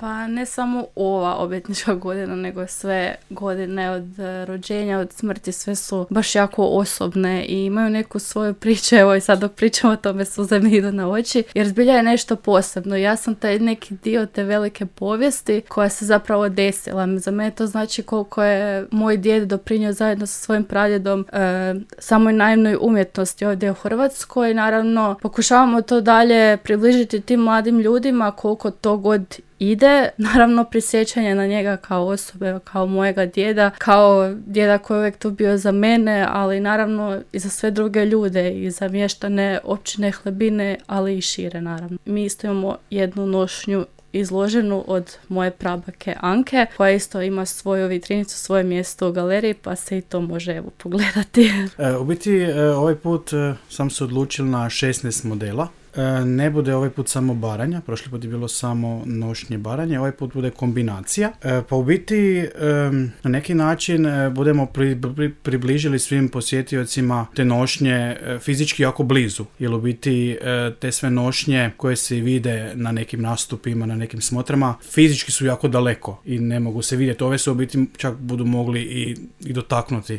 Pa ne samo ova obljetnička godina, nego sve godine od rođenja, od smrti, sve su baš jako osobne i imaju neku svoju priču. Evo i sad dok pričamo o tome suze mi idu na oči, jer zbilja je nešto posebno. Ja sam taj neki dio te velike povijesti koja se zapravo desila. Za mene to znači koliko je moj djed doprinio zajedno sa svojim pradjedom samoj naivnoj umjetnosti ovdje u Hrvatskoj. Naravno, pokušavamo to dalje približiti tim mladim ljudima koliko to god ide. Naravno, prisjećanje na njega kao osobe, kao mojega djeda, kao djeda koji je uvijek tu bio za mene, ali naravno i za sve druge ljude, i za mještane općine Hlebine, ali i šire naravno. Mi isto imamo jednu nošnju izloženu od moje prabake Anke, koja isto ima svoju vitrinicu, svoje mjesto u galeriji, pa se i to može evo pogledati. U biti ovaj put sam se odlučil na 16 modela. Ne bude ovaj put samo baranja, prošli put je bilo samo nošnje baranje, ovaj put bude kombinacija. Pa u biti na neki način budemo približili svim posjetiocima te nošnje fizički jako blizu, jer u biti te sve nošnje koje se vide na nekim nastupima, na nekim smotrama, fizički su jako daleko i ne mogu se vidjeti. Ove se u biti čak budu mogli i dotaknuti.